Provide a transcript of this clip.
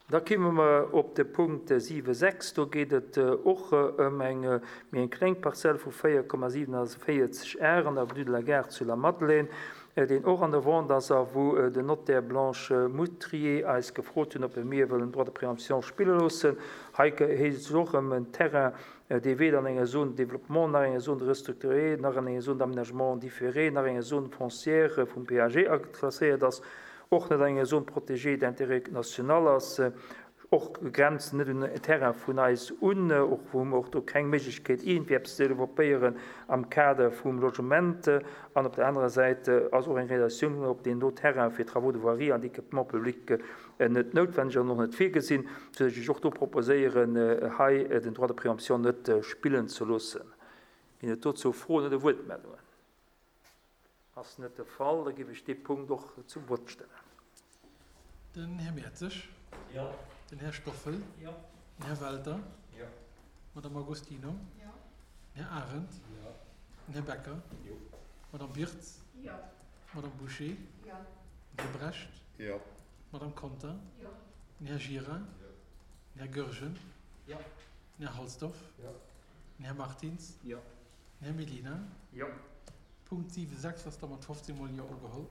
Da kimme mer op de Punkt 7,6. Do geet et och ëm eng méi eng kleng Parzell vu 4,47 Ar an der Avenue de la Gare zu Lamadelaine, deen och an der Vente ass a wou den Notaire Blanche Moutrier eis gefrot hunn, ob mir wëllen Droit de préemption spille loossen. Hei heescht et och ëm en Terrain, dee weder an enger Zone de développement, nach enger Zone restructurée, nach an enger Zone d'aménagement différé, nach enger Zone foncière vum PAG ageklasséiert ass. och net an enger Zone protégée d'intérêt national ass, och grenzt net un en Terrain vun eis un, och hu mer och do keng Méiglechkeet iergendwéi eppes ze developpéieren am Kader vum Logement. An op der anerer Säit ass och eng Realisatioun op deem do Terrain fir Travaux de voirie an d'équipement public net noutwenneg an och net virgesinn, soudass ech och do proposéieren, hei den Droit de préemption net spillen ze loossen. Ginn et dozou Froen oder Wuertmeldungen? Ass net de Fall, da géif ech dee Punkt och zum Vott stellen. Den Här Mertzig. Jo. Den Här Stoffel. Jo. Den Här Welter. Jo. D'Madame Agostino. Jo. Den Här Arendt. Jo. Den Här Becker. Jo. D'Madame Wirtz. Jo. D'Madame Bouché. Jo. Den Här Brecht. Jo. D'Madame Conter. Jo. Den Här Gira. Jo. Den Här Goergen. Jo. Den Här Halsdorf. Jo. Den Här Martins. Jo. Den Här Mellina. Jo. Punkt 7, 6 ass da mat 15 mol Jo ugeholl.